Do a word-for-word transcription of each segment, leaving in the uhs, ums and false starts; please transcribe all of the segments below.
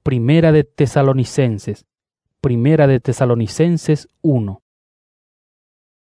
Primera de Tesalonicenses. Primera de Tesalonicenses uno.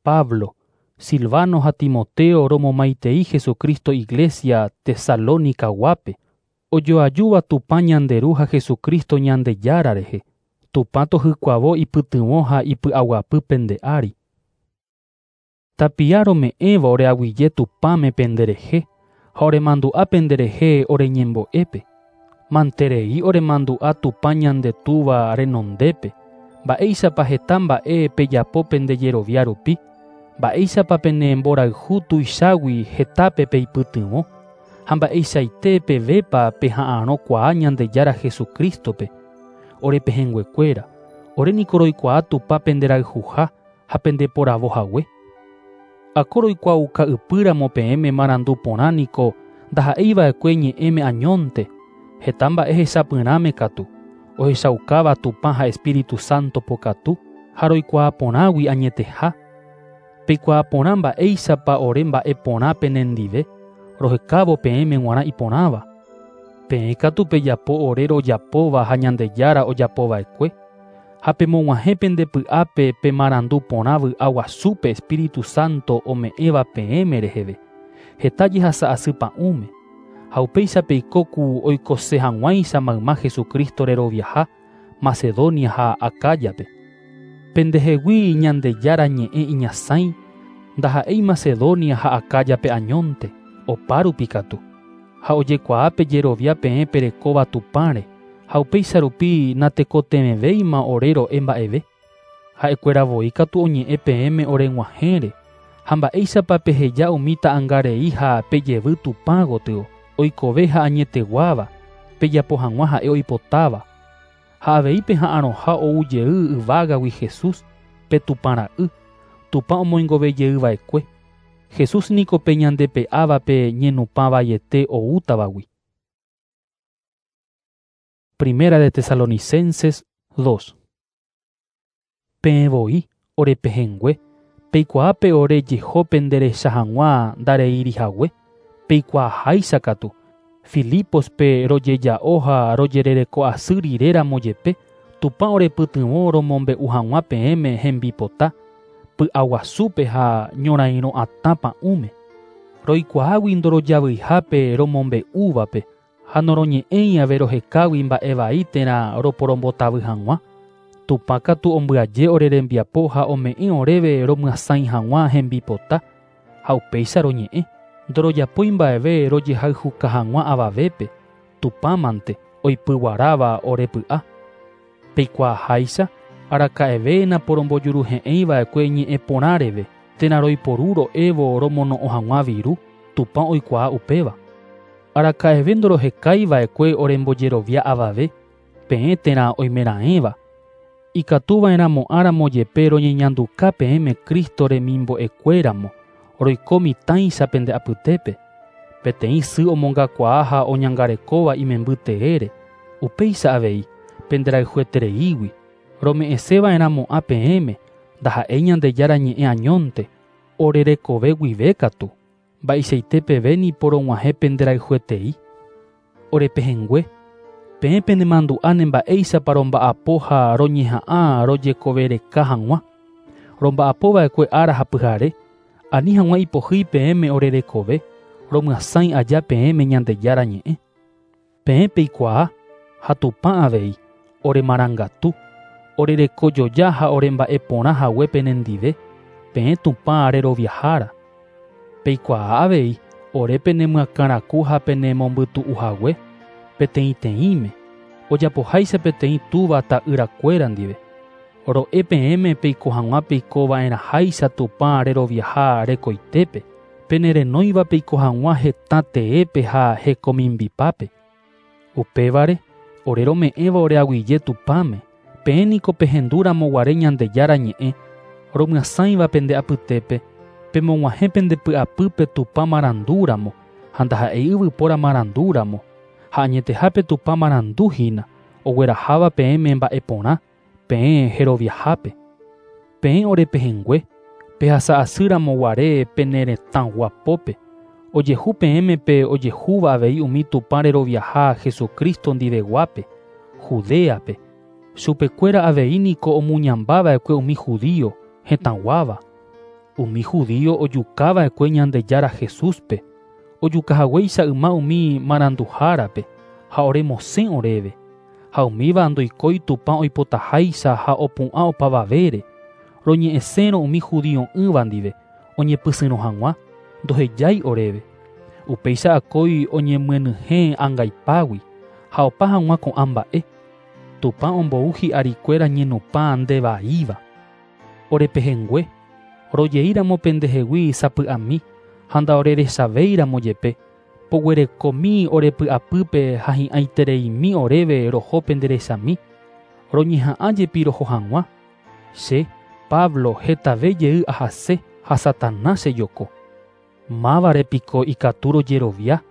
Pablo, Silvano ha Timoteo romomaitei Jesucristo Iglesia Tesalónica guápe, ojoajúva Tupã ñande Ru ha Jesucristo Ñandejára rehe, Tupã tohykuavo ipytyvõ ha ipy'aguapy pende ári. Tapia rome'ẽva oreaguyje Tupãme penderehe ha oremandu'a penderehe oreñembo'épe. Manterei oremandu'a Tupã ñande Túva renondépe, mba'éichapa heta mba'e pejapo pendejerovia rupi, mba'éichapa pene mborayhu tuichágui hetápe peipytyvõ, ha mba'eichaite pevépa peha'arõkuaa Ñandejára Jesucristo-pe. Orepehẽnguekuéra, oréniko roikuaa Tupã penderayhuha ha pendeporavohague. Ako roikuaauka ypýramo peẽme marandu porã niko ndaha'eiva'ekue ñe'ẽme añónte, heta mba'e hechapyrãme katu, ohechaukáva Tupã ha Espíritu Santo pokatu ha roikuaa porãgui añeteha. Peikuaa porã mba'éichapa ore mba'e porã penendive, rohekávo peẽme g̃uarã iporãva. Peẽ katu pejapo ore rojapóva ha Ñandejára ojapova'ekue, ha pemog̃uahẽ pendepy'ápe pe marandu porã vy'a guasúpe Espíritu Santo ome'ẽva peẽme reheve, heta jehasa asy pa'ũme, ha upéicha peiko ku oikose hag̃uáicha mayma Jesucristo reroviaha Macedonia ha Acaya-pe. Pendehegui Ñandejára ñe'ẽ iñasãi, ndaha'éi Macedonia ha Acaya-pe añónte, opárupi katu. Ha ojekuaa pejerovia peẽ perekóva Tupãre, ha upéicha rupi natekotevẽvéima ore ro'e mba'eve. Ha'ekuéra voi katu oñe'ẽ peẽme oreg̃uahẽre, ha mba'éichapa peheja umi ta'ãngarei ha pejevy Tupã gotyo, oikove ha añeteguáva, pejapo hag̃ua ha'e oipotáva. Ha avei peha'arõha ou jey yvágagui Jesús, pe Tupã ra'y, Tupã omoingovejeyva'ekue. Jesús niko pe ñandepe'áva pe ñenupãvaiete oútavagui. Primera de Tesalonicenses dos. Peẽ voi, orepehẽngue, peikuaápe ore jeho penderecha hag̃ua ndareirihague, peikuaaháicha katu, Filipos-pe rojeja'o ha rojerereko asy riréramo jepe, Tupã orepytyvõ romombe'u hag̃ua peẽme hembipota, py'aguasúpe ha ñorairõ atã pa'ũme. Roikuaágui ndorojavyihápe romombe'úvape, ha noroñe'ẽi ave rohekágui mba'e vai térã roporombotavy hag̃ua. Tupã katu ombyaje ore rembiapo ha ome'ẽ oréve romyasãi hag̃ua hembipota, ha upéicha roñe'ẽ. Ndorojapói mba'eve rojehayhuka hag̃ua avavépe, Tupãmante oipyguaráva ore py'a. Peikuaaháicha, araka'eve naporombojuruhe'ẽiva'ekue ñe'ẽ porã reve, térã roiporu ro'évo romono'õ hag̃ua viru, Tupã oikuaa upéva. Araka'eve ndorohekaiva'ekue orembojerovia avave, peẽ térã oimeraẽva. Ikatuva'erãmo'ãramo jepe roñeñanduka peẽme Cristo remimbo'ekuéramo, roiko mitãicha pende apytépe. Peteĩ sy omongakuaa ha oñangarekóva imemby teére, upéicha avei, penderayhuetereígui. Rome'ẽseva'erãmo'ã peẽme, ndaha'éi Ñandejára ñe'ẽ añónte, orerekove guive katu, mba'eichaite peve niporog̃uahẽ penderayhuetei. Orepehẽngue, peẽ penemandu'áne mba'éichapa romba'apo ha roñeha'ã rojekovereka hag̃ua. Romba'apova'ekue ára ha pyhare, ani hag̃ua ipohýi peẽme orerekove, romyasãi aja peẽme Ñandejára ñe'ẽ. Peẽ peikuaa ha Tupã avei, oremarangatu, orerekojoja ha oremba'eporã hague penendive, peẽ Tupã reroviahára. Peikuaa avei, ore penemyakãraku ha penemombytu'uhague, peteĩteĩme, ojapoháicha peteĩ túva ta'yrakuéra ndive. Ro'e peẽme peiko hag̃ua peikova'erãháicha Tupã reroviaha rekoitépe, penerenóiva peiko hag̃ua hetã teépe ha hekomimbipápe. Upévare, ore rome'ẽva oreaguyje Tupãme, peẽ niko pehendúramo guare Ñandejára ñe'ẽ, romyasãiva pende apytépe, pemog̃uahẽ pendepy'apýpe Tupã marandúramo, ha ndaha'éi yvypóra marandúramo, ha añetehápe Tupã marandu hína, ogueraháva peẽme mba'e porã, peẽ jeroviahápe. Peẽ orepehẽngue, pehasa asýramo guare pene retã guapópe, ojehu peẽme pe ojehúva avei umi Tupã reroviaha Jesucristo ndiveguápe, Judeape. Chupekuéra avei niko omuñambava'ekue umi judío hetãguáva. Umi judío ojukava'ekue Ñandejára Jesúspe, ojukahaguéicha yma umi maranduhárape ha oremosẽ oréve. Ha umíva ndoikói Tupã oipotaháicha ha opu'ã opavavére. Roñe'ẽsérõ umi judio'ỹva ndive oñepysyrõ hag̃ua ndohejái oréve. Upéicha akói oñemyenyhẽ angaipágui ha opa hag̃ua ko'ã mba'e. Tupã ombou hi'arikuéra ñenupã ndevaíva. Orepehẽngue, rojeíramo pendehegui sapy'ami ha ndaorerechavéiramo jepe, poguerekomi orepy'apýpe ha hi'ãitereimi oréve roho penderechami, roñeha'ã jepi roho hag̃ua. Che, Pablo, hetave jey ahase ha Satanás chejoko. Mávare piko ikatu rojerovia,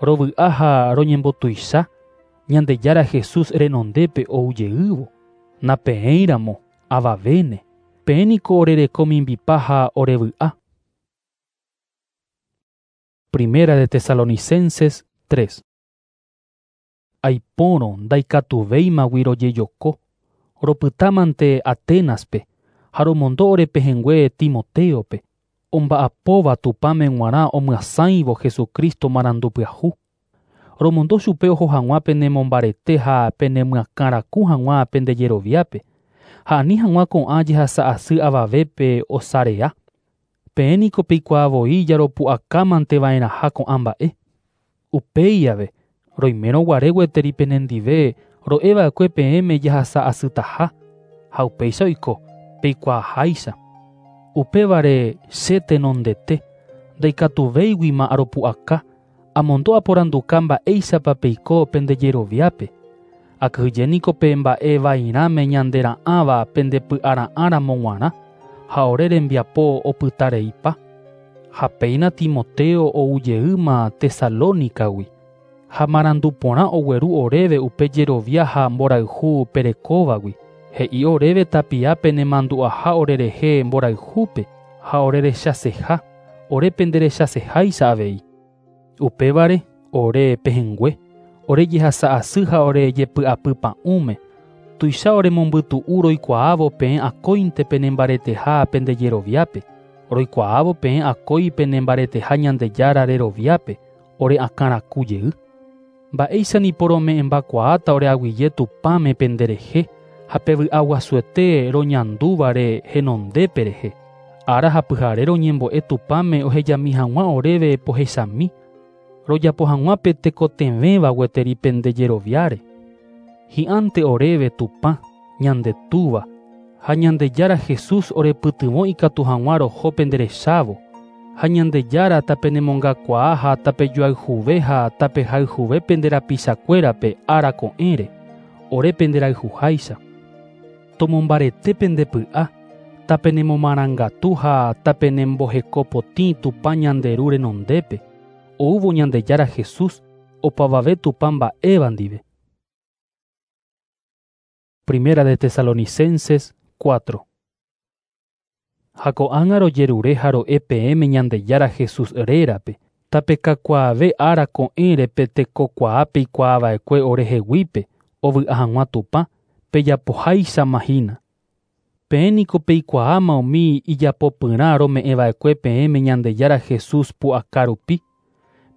rovy'a ha roñembotuicha, Ñandejára Jesús renondépe oujeývo. Napeẽiramo avavéne, peẽ niko orereko mimbipa ha orevy'a. Primera de Tesalonicenses tres. Aipórõ ndaikatuvéimagui rojejoko, ropytámante Atenaspe, ha romondo orepehẽngue Timoteope, omba'apóva Tupãme g̃uarã omyasãivo Jesucristo marandupyahu. Romondo chupe oho hag̃ua penemombarete ha penemyakãraku hag̃ua pendejeroviápe, ha ani hag̃ua ko'ã jehasa'asy avavépe osarea. Peẽ niko peikuaavoi jaropu'akámanteva'erãha ko'ã mba'e. Upéi ave, roimérõ guare gueteri penendive ro'eva'ekue peẽme jahasa'asytaha, ha upéicha oiko peikuaaháicha. Upévare che tenondete, ndaikatuvéiguima aropu'aka, amondo aporanduka mba'éichapa peiko pendejeroviápe. Akyhyje niko pe mba'e vairãme ñandera'ãva pendepy'ara'ãramo g̃uarã ha ore rembiapo opytareipa. Ha péina Timoteo oujeýma Tesalónicagui, ha marandu porã ogueru oréve upe jerovia ha mborayhu perekóvagui. He'i oréve tapia penemandu'aha orerehe mborayhúpe ha orerechaseha, ore penderechaseháicha avei. Upévare ore pehẽngue, ore jehasa'asy ha ore jepy'apypa'ũme, tuicha oremombytu'u roikuaávo peẽ akóinte penembareteha pendejeroviápe, roikuaávo peẽ akói penembareteha Ñandejára reroviápe, ore akãraku jey. Mba'éicha niporome'ẽmbakuaáta oreaguyje Tupãme penderehe ha pevy'aguasuete roñandúvare henondépe rehe. Ára ha pyhare roñembo'e Tupãme ohejami hag̃ua oréve pohechami, rojapo hag̃ua pe tekotevẽva gueteri pendejeroviáre. Hi'ãnte oréve Tupã, ñande Túva, ha Ñandejára Jesús orepytyvõ ikatu hag̃ua roho penderechávo, ha Ñandejára tapenemongakuaa ha tapejoayhuve ha tapehayhuve penderapichakuérape ára ko'ẽre, ore penderayhuháicha. Tomombarete pendepy'a, tapenemomarangatu ha tapenembohekopotĩ Tupã ñande Ru renondépe, oúvo Ñandejára Jesús opavave Tupã mba'éva ndive. Primera de Tesalonicenses cuatro. Ha ko'ág̃a rojerure ha ro'e peẽme Ñandejára Jesús rérape, tapekakuaave ára ko'ẽre pe tekokuaa peikuaava'ekue oreheguípe ovy'a hag̃ua Tupã pejapoháichama hína. Peẽ niko peikuaáma umi ijapopyrã rome'ẽva'ekue peẽme Ñandejára Jesús pu'aka rupi.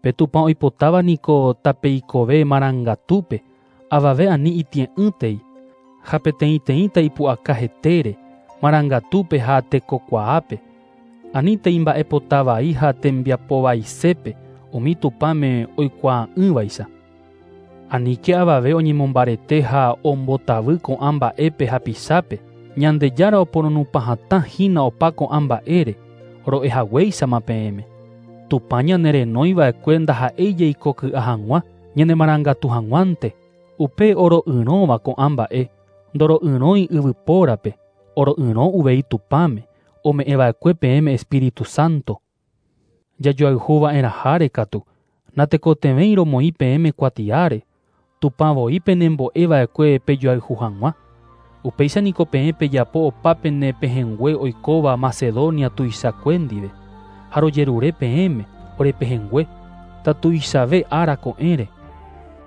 Pe Tupã oipotáva niko tapeikove marangatúpe, avave ani itie'ỹtei, ha peteĩteĩta ipu'aka hetére, marangatúpe ha tekokuaápe. Anítei mba'epotavai ha tembiapovaisépe umi Tupãme oikuaa'ỹvaicha. Aníke avave oñemombarete ha ombotavy ko'ã mba'épe hapichápe, Ñandejára oporonupãhatã hína opa ko'ã mba'ére, ro'ehaguéichama peẽme. Tupã ñanerenóiva'ekue ndaha'éi jeikoky'a hag̃ua, ñanemarangatu hag̃uánte, upe oro'yrõva ko'ã mba'e, ndoro'yrõi yvypórape, oro'yrõ uvei Tupãme, ome'ẽva'ekue peẽme Espíritu Santo. Jajoayhuva'erãháre katu, natekotevẽi romoĩ peẽme kuatiáre, Tupã voi penembo'eva'ekue pejoayhu hag̃ua. Upéicha niko peẽ pejapo opa pene pehẽngue oikóva Macedonia tuichakue ndive, ha rojerure peẽme orepehẽngue tatuichave ára ko'ẽre.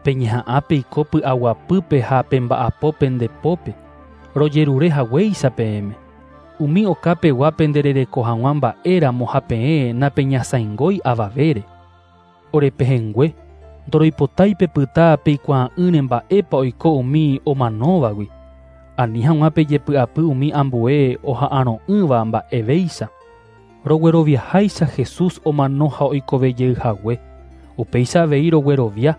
Peñeha'ã peiko py'aguapýpe ha pemba'apo pendepópe, rojerure haguéicha peẽme. Umi okapegua penderereko hag̃ua mba'éramo ha peẽ napeñasãingói avavére. Orepehẽngue, ndoroipotái pepyta peikuaa'ỹre mba'épa oiko umi omanóvagui. Ani hag̃ua pejepy'apy umi ambue oha'arõ'ỹva mba'evéicha. Rogueroviaháicha Jesús omano ha oikovejeyhague. Upéicha avei roguerovia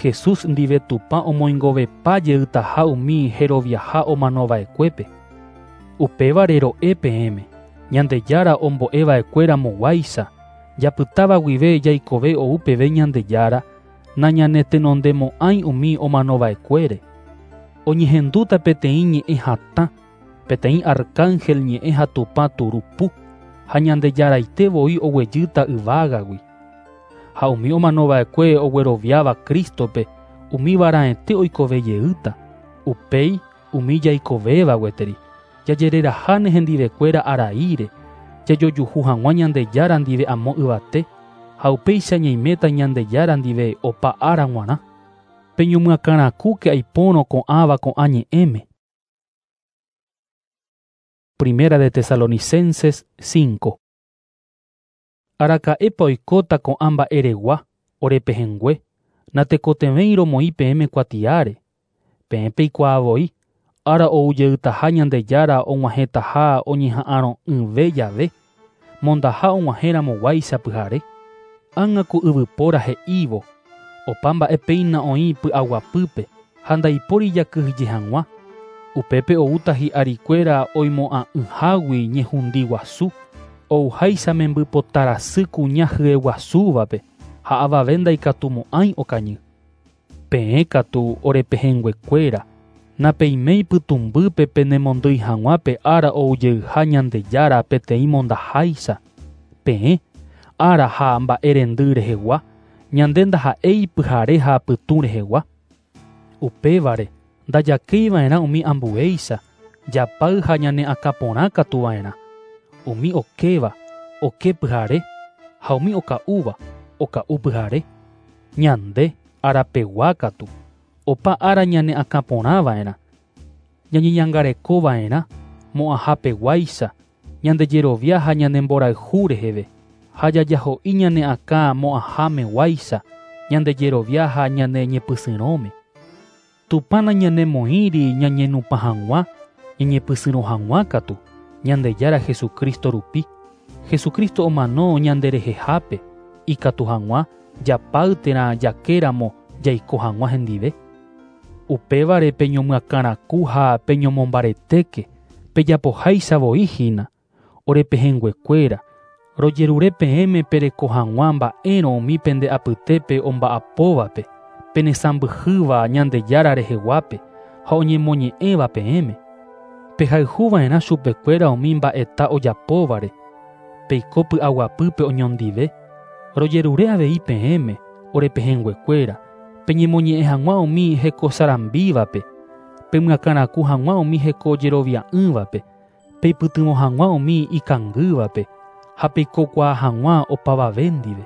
Jesús ndive Tupã omoingovepa jeytaha umi heroviaha omanova'ekuépe. Upévare ro'e peẽme, Ñandejára ombo'eva'ekuéramoguáicha, japytáva guive jaikove ou peve Ñandejára, nañanetenondemo'ãi umi omanova'ekuére. Oñehendúta peteĩ ñe'ẽ hatã, peteĩ arcángel ñe'ẽ ha Tupã turupu, ha Ñandejaraite voi oguejýta yvágagui. Ha umi omanova'ekue ogueroviáva Crístope, umi varaete oikovejeýta. Upéi umi jaikovéva gueteri, jajereraháne hendivekuéra araíre, jajojuhu hag̃ua Ñandejára ndive amo yvate, ha upéicha ñaiméta Ñandejára ndive opa ára g̃uarã. Peñomyakãrakúke aipórõ ko'ãva ko'ã ñe'ẽme. Primera de Tesalonicenses cinco. Araka'épa oikóta ko'ã mba'eregua, orepehẽngue, natekotevẽi romoĩ peẽme kuatiáre. Peẽ peikuaa voi, ára oujeytaha Ñandejára og̃uahẽtaha oñeha'ãrõ'ỹve jave, mondaha og̃uahẽramoguáicha pyhare. Ág̃a ku yvypóra he'ívo, opa mba'e péina oĩ py'aguapýpe ha ndaipóri jakyhyje hag̃ua. Upépe oúta hi'arikuéra oimo'ã'ỹhágui ñehundi guasu, ouháicha membypotarasy kuña hyeguasúvape ha avave ndaikatumo'ãi okañy. Peẽ katu orepehẽnguekuéra, napeiméi pytũmbýpe penemondýi hag̃ua pe ára oujeyha Ñandejára peteĩ mondaháicha. Peẽ, ára ha mba'erendy rehegua, ñande ndaha'éi pyhare ha pytũ rehegua. Upévare, ndajakéiva'erã umi ambuéicha, japáy ha ñane akãporã katuva'erã. Umi okéva, oke pyhare, ha umi oka'úva, oka'u pyhare. Ñande, arapegua katu, opa ára ñane akãporãva'erã. Ñañeñangarekova'erã, mo'ãhapeguáicha, ñandejerovia ha ñanemborayhu reheve, ha jajaho'i ñane akã mo'ãhámeguáicha, ñandejerovia ha ñane ñepysyrõme. Tupã nañanemoĩri ñañenupã hag̃ua, ñañepysyrõ hag̃ua katu, Ñandejára Jesucristo rupi. Jesucristo omano ñanderehehápe, ikatu hag̃ua japáy térã jakéramo jaiko hag̃ua hendive. Upévare peñomyakãraku ha peñomombaretéke, pejapoháicha voi hína, orepehẽnguekuéra, rojerure peẽme pereko hag̃ua mba'érõ umi pende apytépe omba'apóvape, penesãmbyhýva Ñandejára reheguápe ha oñemoñe'ẽva peẽme. Pehayhuva'erã chupekuéra umi mba'eta ojapóvare, peiko py'aguapýpe oñondive. Rojerure avei peẽme, orepehẽnguekuéra, peñemoñe'ẽ hag̃ua umi hekosarambívape, pemyakãraku hag̃ua umi hekojerovia'ỹvape, peipytyvõ hag̃ua umi ikangývape ha peikokuaa hag̃ua opavave ndive.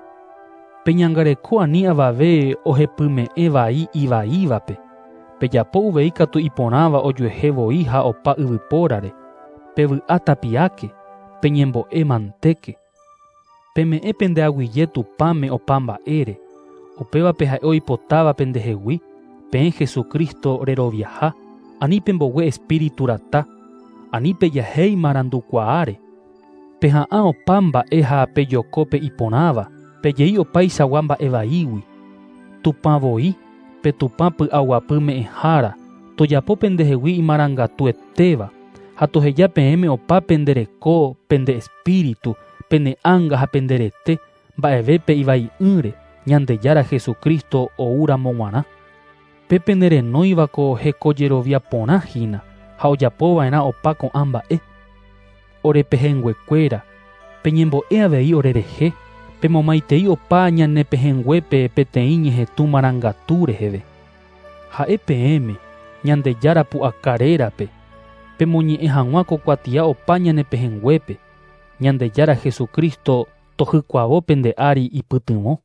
Peñangareko ani avave ohepyme'ẽ vai ivaívape. Pejapo uvei katu iporãva ojuehe voi ha opa yvypórare. Pevy'a tapiáke, peñembo'e mantéke. Peme'ẽ pendeaguyje Tupãme opa mba'ére. Upévape ha'e oipotáva pendehegui, peẽ Jesucristo reroviaha, ani pembogue espíritu rata, ani pejahéi marandukuaáre. Peha'ã opa mba'e ha pejokópe iporãva, pejei opaichagua mba'evaígui. Tupã voi, pe Tupã py'aguapy me'ẽhára, tojapo pendehegui imarangatuetéva, ha toheja peẽme opa pendereko, pende espíritu, pene ánga ha penderete, mba'evépe ivai'ỹre, Ñandejára Jesucristo oúramo g̃uarã. Pe penerenóivako hekojerovia porã hína ha ojapova'erã opa ko'ã mba'e. Orepehẽnguekuéra, peñembo'e avei orerehe, pemomaitei opa ñanepehẽnguépe peteĩ ñehetũ marangatu reheve. Ha'e peẽme, Ñandejára pu'aka rérape, pemoñe'ẽ hag̃ua ko kuatia opa ñanepehẽnguépe, Ñandejára Jesucristo tohykuavo pende ári ipytyvõ.